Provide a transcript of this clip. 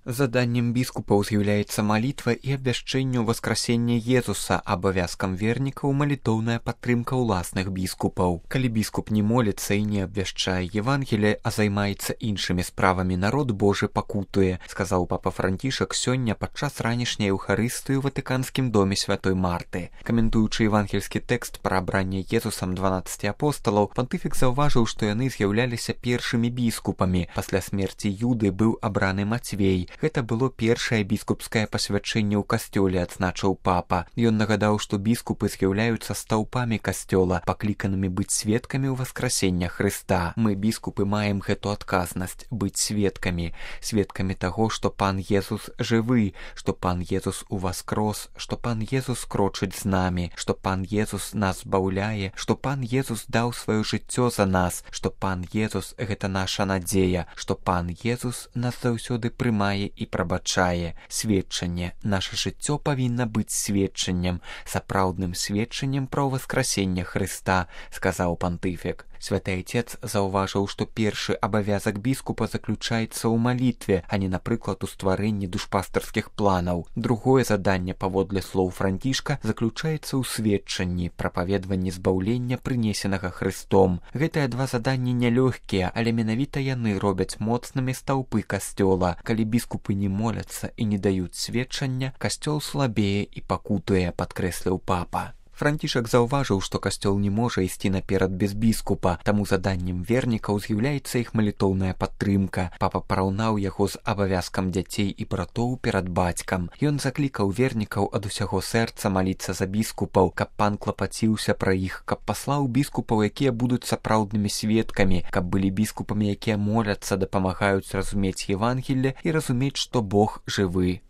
Заданнем біскупаў з'яўляецца малітва і абвяшчэнне васкрасення Езуса, абавязкам вернікаў малітоўная падтрымка ўласных біскупаў. Калі біскуп не моліцца і не абвяшчае Евангелие, а займаецца іншымі справамі, народ Божы пакутуе, сказаў папа Францішак сёння падчас ранішняй эўхарыстыі ў Ватыканскім доме святой Марты. Каментуючы евангельскі тэкст пра абранне Езусам 12 апосталаў, пантыфік заўважыў, што яны з'яўляліся першымі біскупамі. Пасля смерці Юды быў абраны Мацвей. Гэта было першае біскупскае пасвячэнне ў касцёле, адзначыў папа. Ён нагадаў, што біскупы з'яўляюцца стаўпамі касцёла, пакліканымі быць сведкамі ў васкрасення Хрыста. Мы, біскупы, маем гэту адказнасць быць сведкамі, сведкамі таго, што Пан Езус жывы, што Пан Езус уваскрос, што Пан Езус крочыць з намі, што Пан Езус нас збаўляе, што Пан Езус даў сваё жыццё за нас, што Пан Езус — гэта наша надзея, што Пан Езус нас заўсёды прымае і прабачае. Сведчанне. Наша жыццё павінна быць сведчаннем, сапраўдным сведчаннем пра ўваскрасенне Хрыста, сказаў пантыфік. Святы Айцец заўважыў, што першы абавязак біскупа заключаецца ў малітве, а не, напрыклад, у стварэнні душпастарскіх планаў. Другое заданне, паводле слоў Францішка, заключаецца ў сведчанні, прапаведванні збаўлення, прынесенага Хрыстом. Гэтыя два заданні нялёгкія, але менавіта яны робяць моцнымі стаўпы касцёла. Калі біскупы не моляцца і не даюць сведчання, касцёл слабее і пакутуе, падкрэсліў папа. Францішак заўважыў, што касцёл не можа ісці наперад без біскупа, таму заданнем вернікаў з'яўляецца іх малітоўная падтрымка. Папа параўнаў яго з абавязкам дзяцей і братоў перад бацькам. Ён заклікаў вернікаў ад усяго сэрца маліцца за біскупаў, каб Пан клапаціўся пра іх, каб паслаў біскупаў, якія будуць сапраўднымі сведкамі, каб былі біскупамі, якія моляцца, дапамагаюць разумець Евангелле і разумець, што Бог жывы.